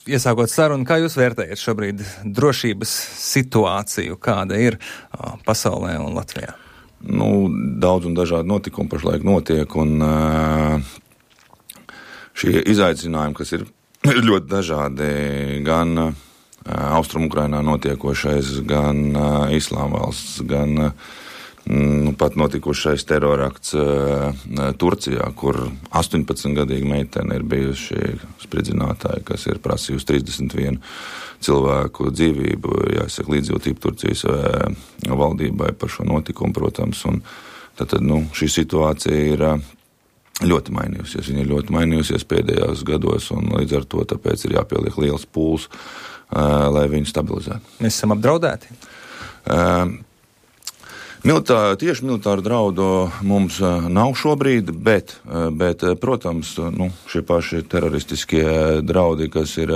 iesākot sarunu, kā jūs vērtējat šobrīd drošības situāciju, kāda ir pasaulē un Latvijā? Daudz un dažādi notikumi pašlaik notiek, un šie izaicinājumi, kas ir ļoti dažādi, gan Austrum Ukrainā notiekošais, gan Islāma valsts, gan pat notikušais terorakts Turcijā, kur 18-gadīga meitene ir bijuši spridzinātāji, kas ir prasījusi 31 cilvēku dzīvību, jāsaka līdzjūtību Turcijas valdībai par šo notikumu, protams, un tad šī situācija ir ļoti mainījusies. Viņa ir ļoti mainījusies pēdējos gados, un līdz ar to tāpēc ir jāpieliek liels pūls, lai viņu stabilizētu. Mēs esam apdraudēti? Tieši militāru draudu mums nav šobrīd, bet protams, šie paši teroristiskie draudi, kas ir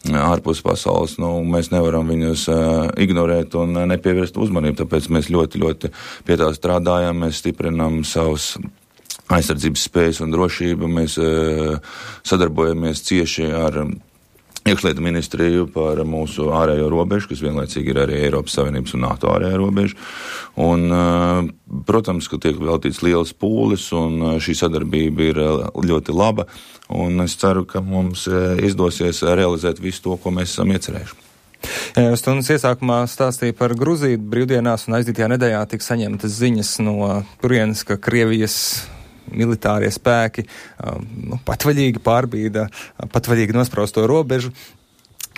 ārpus pasaules, mēs nevaram viņus ignorēt un nepievērst uzmanību, tāpēc mēs ļoti, ļoti pie tā strādājam, mēs stiprinam savus aizsardzības spējas un drošību, mēs sadarbojamies cieši ar iekšlietu ministriju par mūsu ārējo robežu, kas vienlaicīgi ir arī Eiropas Savienības un NATO ārējā robeža. Un, protams, ka tiek veltīts liels pūlis, un šī sadarbība ir ļoti laba, un es ceru, ka mums izdosies realizēt visu to, ko mēs esam iecerējuši. Jā, stundas iesākumā stāstīja par Gruziju brīvdienās, un aizdītajā nedēļā tika saņemtas ziņas no turienes, ka Krievijas militārie spēki patvaļīgi pārbīda, patvaļīgi nosprausto robežu.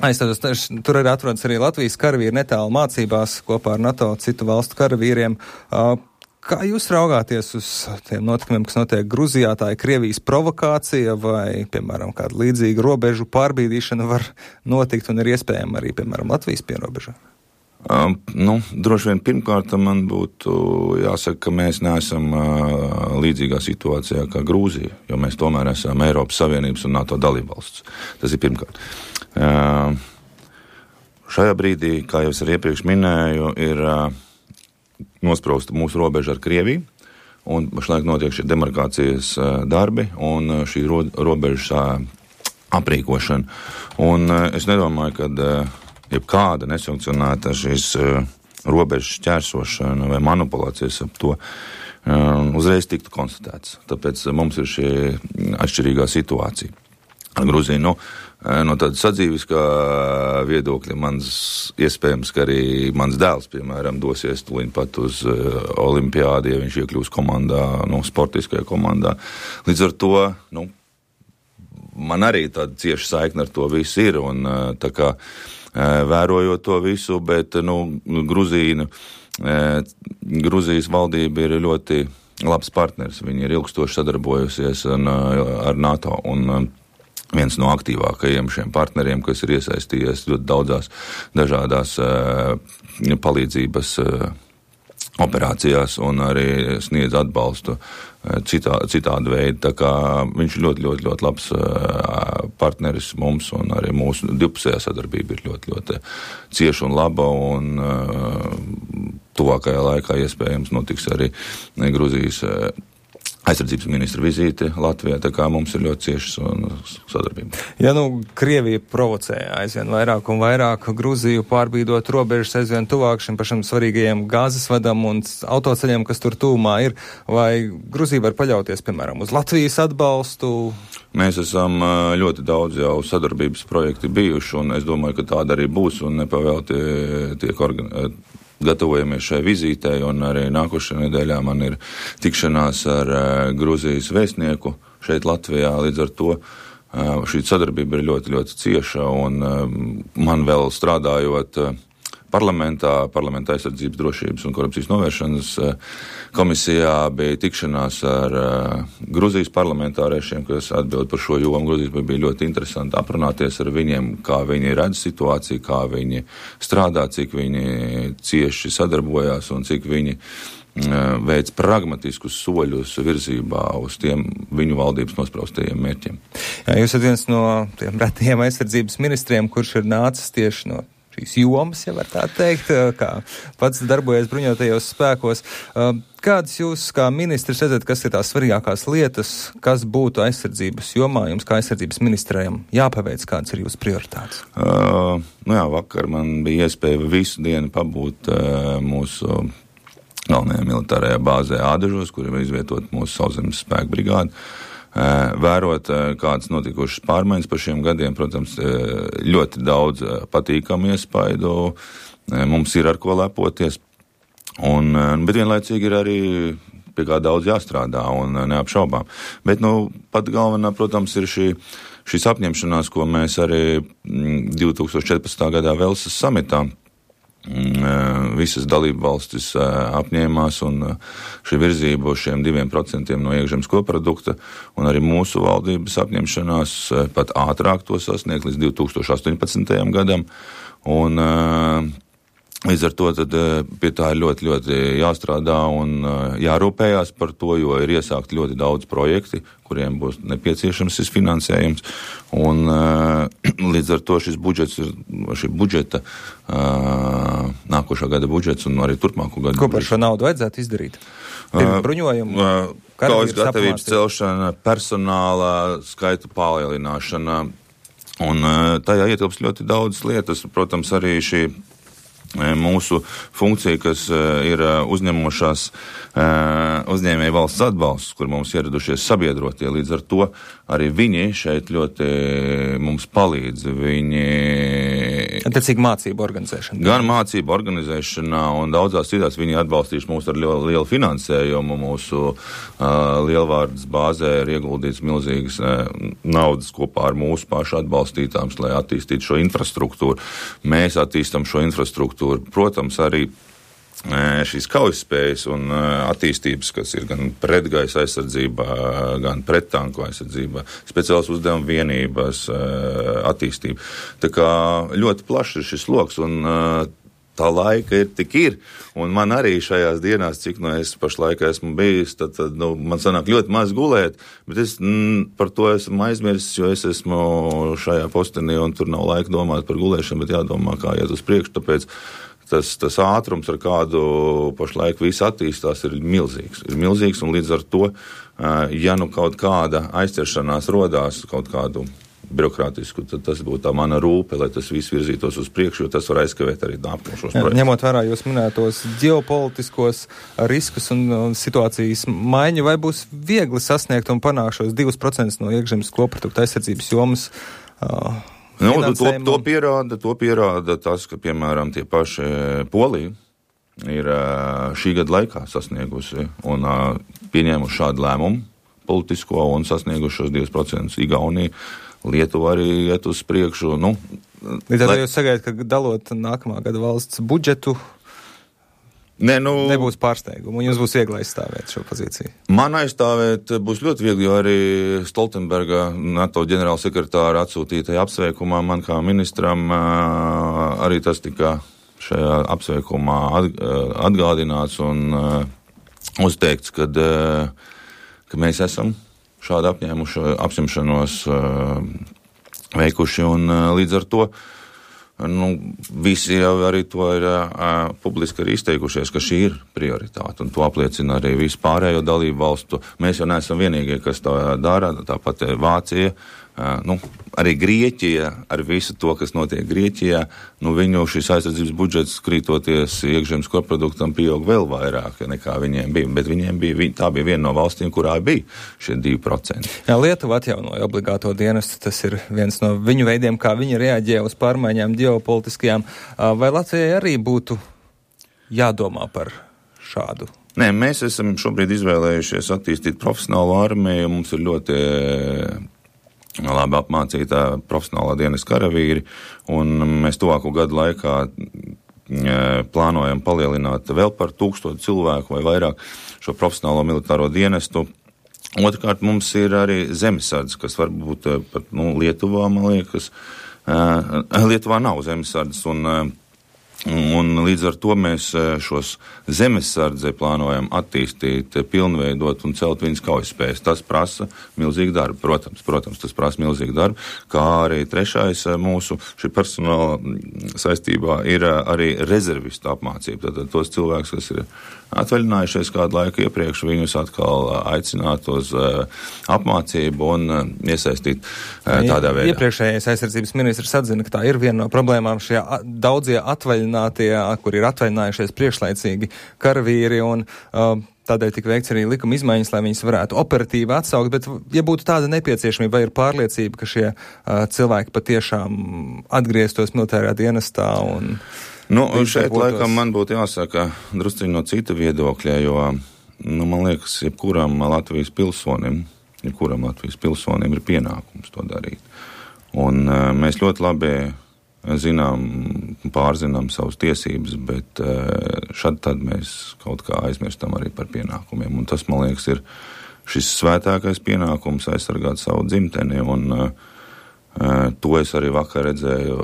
Aizstādos, tur arī atrodas arī Latvijas karavīri netālu mācībās kopā ar NATO citu valstu karavīriem. Kā jūs raugāties uz tiem notikumiem, kas notiek Gruzijā? Tā ir Krievijas provokācija vai, piemēram, kāda līdzīga robežu pārbīdīšana var notikt un ir iespējama arī, piemēram, Latvijas pierobežā? Droši vien pirmkārt man būtu jāsaka, ka mēs neesam līdzīgā situācijā kā Grūzija, jo mēs tomēr esam Eiropas Savienības un NATO dalībvalsts. Tas ir pirmkārt. Šajā brīdī, kā jau es arī iepriekš minēju, ir nosprausta mūsu robeža ar Krieviju, un pašlaik notiek šie demarkācijas darbi un šī robežas aprīkošana. Un es nedomāju, ka jebkāda nesankcionēta šīs robežas šķērsošana vai manipulācijas ap to uzreiz tiktu konstatēts. Tāpēc mums ir šī atšķirīgā situācija. Gruzija, no tāda sadzīviskā viedokļa iespējams, ka arī mans dēls, piemēram, dosies tuliņ pat uz olimpiādi, ja viņš iekļūs komandā, sportiskajā komandā. Līdz ar to, man arī tāda cieša saikne ar to visu ir, un tā kā vērojot to visu, bet Gruzijas valdība ir ļoti labs partners. Viņi ir ilgstoši sadarbojusies ar NATO, un viens no aktīvākajiem šiem partneriem, kas ir iesaistījies ļoti daudzās dažādās palīdzības operācijās un arī sniedz atbalstu citādu veidu. Tā kā viņš ir ļoti, ļoti, ļoti labs partneris mums, un arī mūsu divpusējā sadarbība ir ļoti, ļoti cieša un laba, un tuvākajā laikā iespējams notiks arī Gruzijas aizsardzības ministra vizīte Latvijā, tā kā mums ir ļoti ciešas sadarbība. Ja Krievija provocē aizvien vairāk un vairāk Gruziju pārbīdot robežas aizvien tuvāk šim pašam svarīgajiem gāzes vadam un autoceļiem, kas tur tūmā ir, vai Gruzija var paļauties, piemēram, uz Latvijas atbalstu? Mēs esam ļoti daudz jau sadarbības projekti bijuši, un es domāju, ka tāda arī būs, un nepavēlti tiek gatavojamies šai vizītei, un arī nākošajā nedēļā man ir tikšanās ar Gruzijas vēstnieku šeit Latvijā. Līdz ar to šī sadarbība ir ļoti, ļoti cieša, un man vēl strādājot parlamentā aizsardzības, drošības un korupcijas novēršanas komisijā bija tikšanās ar Gruzijas parlamentāriešiem, kas atbild par šo jomu. Gruzijas bija ļoti interesanti aprunāties ar viņiem, kā viņi redz situāciju, kā viņi strādā, cik viņi cieši sadarbojās un cik viņi veic pragmatiskus soļus virzībā uz tiem viņu valdības nospraustajiem mērķiem. Jā, jūs esat viens no tiem retajiem aizsardzības ministriem, kurš ir nācis tieši no šīs jomas, ja var tā teikt, kā pats darbojies bruņotajos spēkos. Kādas jūs kā ministrs redzat, kas ir tās svarīgākās lietas, kas būtu aizsardzības jomā, jums kā aizsardzības ministrējam jāpaveic, kādas ir jūsu prioritātes? Vakar man bija iespēja visu dienu pabūt mūsu galvenajā militārajā bāzē Ādažos, kur ir izvietot mūsu sauszemes spēku brigādi. Vērot, kādas notikušas pārmaiņas par šiem gadiem, protams, ļoti daudz patīkamu iespaidu, mums ir ar ko lepoties, bet vienlaicīgi ir arī pie kā daudz jāstrādā un neapšaubām. Bet, pat galvenā, protams, ir šīs apņemšanās, ko mēs arī 2014. gadā Velsas samitā visas dalību valstis apņēmās, un šī virzība uz šiem 2% no iekšzemes koprodukta un arī mūsu valdības apņemšanās pat ātrāk to sasniegt līdz 2018. gadam. Un līdz ar to tad pie tā ir ļoti, ļoti jāstrādā un jārūpējās par to, jo ir iesākt ļoti daudz projekti, kuriem būs nepieciešams šis finansējums. Un līdz ar to šī budžeta, nākošā gada budžets un arī turpmāko gadu. Ko par šo naudu vajadzētu izdarīt? Bruņojumu, kaujas gatavības celšana, personāla skaita palielināšana, un tajā ietilpst ļoti daudz lietas. Protams, arī šī mūsu funkcija, kas ir uzņemošās uzņēmēju valsts atbalsts, kur mums ieradušies sabiedrotie, līdz ar to arī viņi šeit ļoti mums palīdz. Viņi attiecīgi mācību organizēšana. Gan mācību organizēšanā un daudzās citās viņi atbalstījuši mūs ar lielu finansējumu. Mūsu lielvārdas bāzē ir ieguldīts milzīgas naudas kopā ar mūsu pašu atbalstītām, lai attīstītu šo infrastruktūru. Mēs attīstam šo infrastruktūru. Protams, arī šīs kaujaspējas un attīstības, kas ir gan pretgaisa aizsardzībā, gan prettanku aizsardzībā, speciāls uzdevuma vienības attīstība. Tā kā ļoti plašs ir šis loks, un tā laika ir, un man arī šajās dienās, cik es pašlaik esmu bijis, tad man sanāk ļoti maz gulēt, bet es par to esmu aizmirsis, jo es esmu šajā postenī, un tur nav laika domāt par gulēšanu, bet jādomā, kā iet uz priekšu, tāpēc tas ātrums, ar kādu pašlaik viss attīstās, ir milzīgs. Un līdz ar to, ja kaut kāda aizķeršanās rodās kaut kādu birokrātisku, tad tas būtu tā mana rūpe, lai tas viss virzītos uz priekšu, jo tas var aizkavēt arī nākošos projektus. Ņemot vērā jūs minētos ģeopolitiskos riskus un situācijas maiņu, vai būs viegli sasniegt un panākt šos 2% no iekšzemes koprodukta aizsardzības jomas? To pierāda tas, ka, piemēram, tie paši Polija ir šī gada laikā sasniegusi un pieņēmuši šādu lēmumu politisko un sasnieguši šos 2%. Igaunija, Lietuva arī iet uz priekšu. Līdz ar to jūs sagaidat, ka dalot nākamā gada valsts budžetu, nebūs pārsteigumu, un jums būs viegli aizstāvēt šo pozīciju? Man aizstāvēt būs ļoti viegli, jo arī Stoltenberga, NATO ģenerālsekretāra atsūtītajā apsveikumā man kā ministram arī tas tika šajā apsveikumā atgādināts un uzteikts, ka mēs esam šādu apņemšanos veikuši, un līdz ar to visi jau arī to ir publiski arī izteikušies, ka šī ir prioritāte, un to apliecina arī visu pārējo dalību valstu. Mēs jau neesam vienīgie, kas to dara, tāpat Vācija, arī Grieķija, ar visu to, kas notiek Grieķijā, viņu šis aizsardzības budžets krītoties iekšzemes koproduktam pieaug vēl vairāk nekā viņiem bija, bet tā bija viena no valstīm, kurā bija šie 2%. Jā, Lietuva atjaunoja obligāto dienestu, tas ir viens no viņu veidiem, kā viņi reaģē uz pārmaiņām ģeopolitiskajām. Vai Latvijai arī būtu jādomā par šādu? Nē, mēs esam šobrīd izvēlējušies attīstīt profesionālu armiju, mums ir ļoti labi apmācītā profesionālā dienas karavīri, un mēs tuvāko gadu laikā plānojam palielināt vēl par 1000 cilvēku vai vairāk šo profesionālo militāro dienestu. Otrkārt, mums ir arī zemesardzes, kas varbūt pat Lietuvā, man liekas, Lietuvā nav zemesardzes, un Un līdz ar to mēs šos zemesardzi plānojam attīstīt, pilnveidot un celt viņas kaujaspējas. Tas prasa milzīgu darbu, protams, tas prasa milzīgu darbu, kā arī trešais mūsu šī personāla saistībā ir arī rezervistu apmācība. Tātad tos cilvēkus, kas ir atvaļinājušies kādu laiku iepriekš, viņus atkal aicināt uz apmācību un iesaistīt tādā veidā. Iepriekšējais aizsardzības ministrs atzina, ka tā ir viena no problēmām šie daudzie atvaļinātie, kur ir atvaļinājušies priekšlaicīgi karavīri, un tādēļ tika veikts arī likuma izmaiņas, lai viņus varētu operatīvi atsaukt, bet ja būtu tāda nepieciešamība, vai ir pārliecība, ka šie cilvēki patiešām atgrieztos militārajā dienestā un... Šeit laikam man būtu jāsaka drusciņi no cita viedokļa, jo, man liekas, jebkuram Latvijas pilsonim ir pienākums to darīt. Un mēs ļoti labi pārzinām savas tiesības, bet šad tad mēs kaut kā aizmirstam arī par pienākumiem. Un tas, man liekas, ir šis svētākais pienākums aizsargāt savu dzimteni, un to es arī vakar redzēju,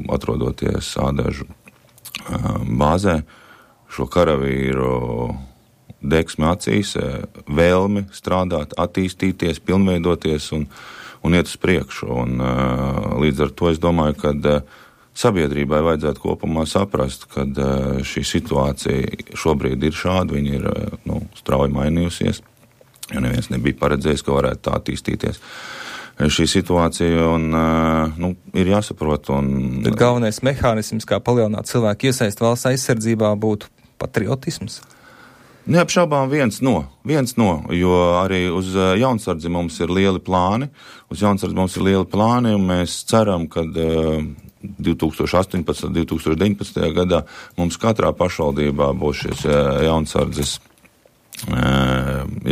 atrodoties Ādažu bāzē, šo karavīru deksmi acīs, vēlmi strādāt, attīstīties, pilnveidoties un iet uz priekšu. Un līdz ar to es domāju, ka sabiedrībai vajadzētu kopumā saprast, ka šī situācija šobrīd ir šāda, viņa ir strauji mainījusies, jo neviens nebija paredzējis, ka varētu tā attīstīties šī situācija, un ir jāsaprot. Bet galvenais mehānisms, kā palielināt cilvēku iesaist valsts aizsardzībā, būtu patriotisms? Neapšaubām viens no, jo arī uz jaunsardzi mums ir lieli plāni, un mēs ceram, ka 2018. 2019. gadā mums katrā pašvaldībā būs šis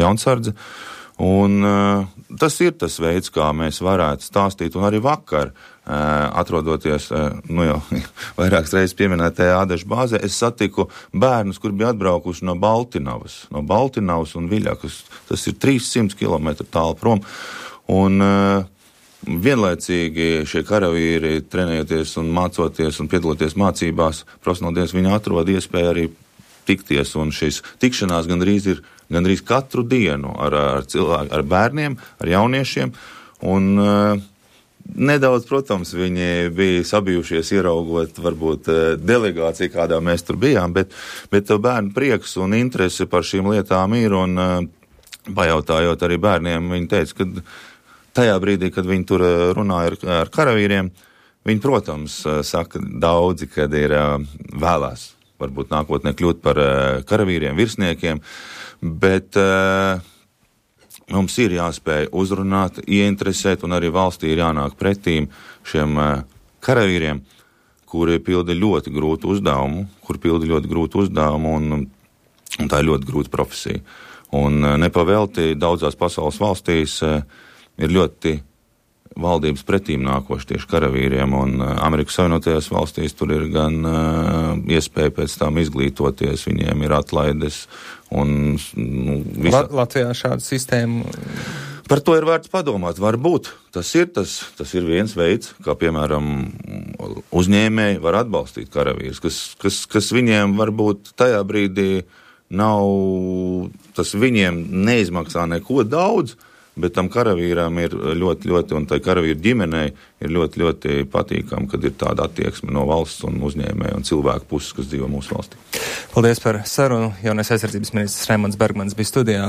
jaunsardze. Un tas ir tas veids, kā mēs varētu stāstīt, un arī vakar, atrodoties, jau vairākas reizes pieminētajā Ādažu bāzē, es satiku bērnus, kur bija atbraukuši no Baltinavas un Viļakas. Tas ir 300 km tālu prom, un vienlaicīgi šie karavīri trenējoties un mācoties un piedaloties mācībās, profesionāldienās, viņi atrod iespēju arī tikties, un šīs tikšanās gandrīz katru dienu ar bērniem, ar jauniešiem, un nedaudz, protams, viņi bija sabijušies ieraugot varbūt delegāciju, kādā mēs tur bijām, bet bērnu prieks un interese par šīm lietām ir, un pajautājot arī bērniem, viņi teica, ka tajā brīdī, kad viņi tur runāja ar karavīriem, viņi, protams, saka daudzi, kad ir vēlās varbūt nākotnē kļūt par karavīriem, virsniekiem, bet mums ir jāspēj uzrunāt, ieinteresēt, un arī valstī ir jānāk pretīm šiem karavīriem, kuri pilda ļoti grūtu uzdevumu, un tā ir ļoti grūta profesija. Un nepavēlti daudzās pasaules valstīs ir ļoti valdības pretīm nākoši tieši karavīriem, un Amerikas Savienotajās valstīs tur ir gan iespēja pēc tam izglītoties, viņiem ir atlaides, un Latvijā šāda sistēma. Par to ir vērts padomāt. Varbūt tas ir viens veids, kā piemēram uzņēmēji var atbalstīt karavīrus, kas viņiem varbūt tajā brīdī tas viņiem neizmaksā neko daudz, bet tam karavīram ir ļoti, un tai karavīru ģimenei ir ļoti patīkami, kad ir tāda attieksme no valsts un uzņēmēja un cilvēku puses, kas dzīvo mūsu valstī. Paldies par sarunu. Jaunais aizsardzības ministrs Raimonds Bergmanis bija studijā.